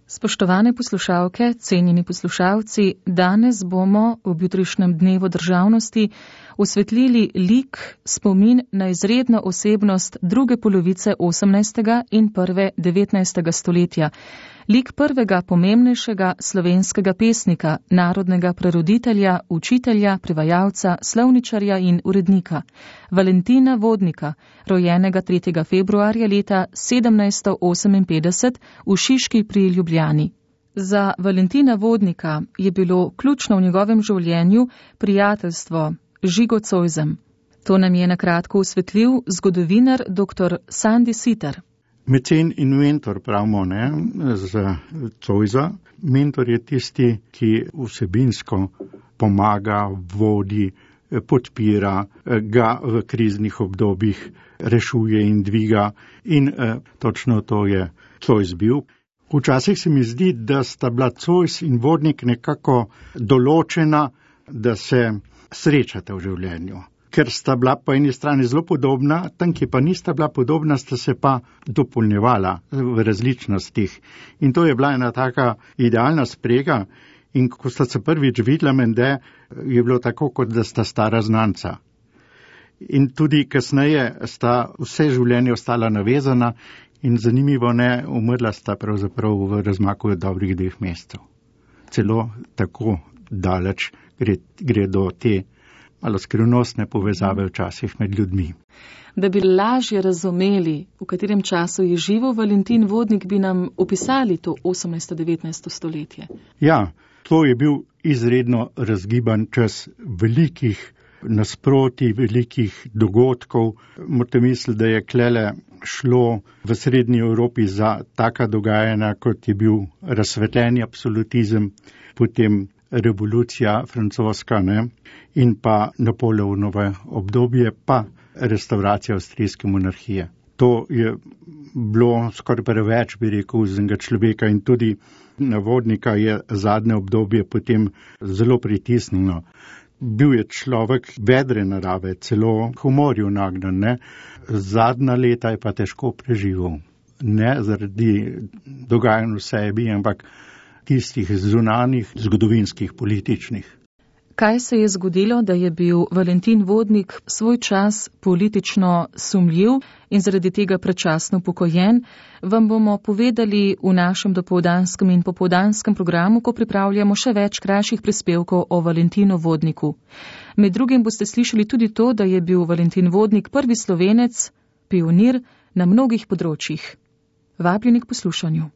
Spoštovane poslušalke, cenjeni poslušalci, danes bomo ob jutrišnjem dnevu državnosti osvetlili lik, spomin na izredno osebnost druge polovice 18. in prve 19. stoletja. Lik prvega pomembnejšega slovenskega pesnika, narodnega preroditelja, učitelja, prevajalca, slovničarja in urednika, Valentina Vodnika, rojenega 3. februarja leta 1758 v Šiški pri Ljubljani. Za Valentina Vodnika je bilo ključno v njegovem življenju prijateljstvo z Žigo Zoisem. To nam je na kratko osvetlil zgodovinar dr. Sandi Siter. Mecen in mentor pravimo, za Zoisa. Mentor je tisti, ki vsebinsko pomaga, vodi, podpira, ga v kriznih obdobjih rešuje in dviga. In točno to je Zois bil. Včasih se mi zdi, da sta bila Zois in Vodnik nekako določena, da se srečata v življenju. Ker sta bila po eni strani zelo podobna, tam, ki pa nista bila podobna, sta se pa dopolnjevala v različnostih. In to je bila ena taka idealna sprega. In ko sta se prvič videla, mende, je bilo tako, kot da sta stara znanca. In tudi kasneje sta vse življenje ostala navezana in zanimivo umrla sta pravzaprav v razmaku dobrih 2 mesecev. Celo tako daleč gre do te malo skrivnostne povezave včasih med ljudmi. Da bi lažje razumeli, v katerem času je živel Valentin Vodnik, bi nam opisali to 18-19 stoletje. Ja, to je bil izredno razgiban čas velikih nasprotij, velikih dogodkov. Morate misliti, da je klele šlo v srednji Evropi za taka dogajanja, kot je bil razsvetljeni absolutizem, potem revolucija francoska, in pa Napoleonovo obdobje, pa restauracija avstrijske monarhije. To je bilo skoraj preveč, bi rekel, za enega človeka in tudi na Vodnika je zadnje obdobje potem zelo pritisnjeno. Bil je človek vedre narave, celo humorju nagnan, Zadnja leta je pa težko preživel. Ne zaradi dogajanj v sebi, ampak tistih zunanjih, zgodovinskih, političnih. Kaj se je zgodilo, da je bil Valentin Vodnik svoj čas politično sumljiv in zaradi tega predčasno upokojen, vam bomo povedali v našem dopoldanskem in popoldanskem programu, ko pripravljamo še več krajših prispevkov o Valentinu Vodniku. Med drugim boste slišali tudi to, da je bil Valentin Vodnik prvi Slovenec, pionir na mnogih področjih. Vabljeni k poslušanju.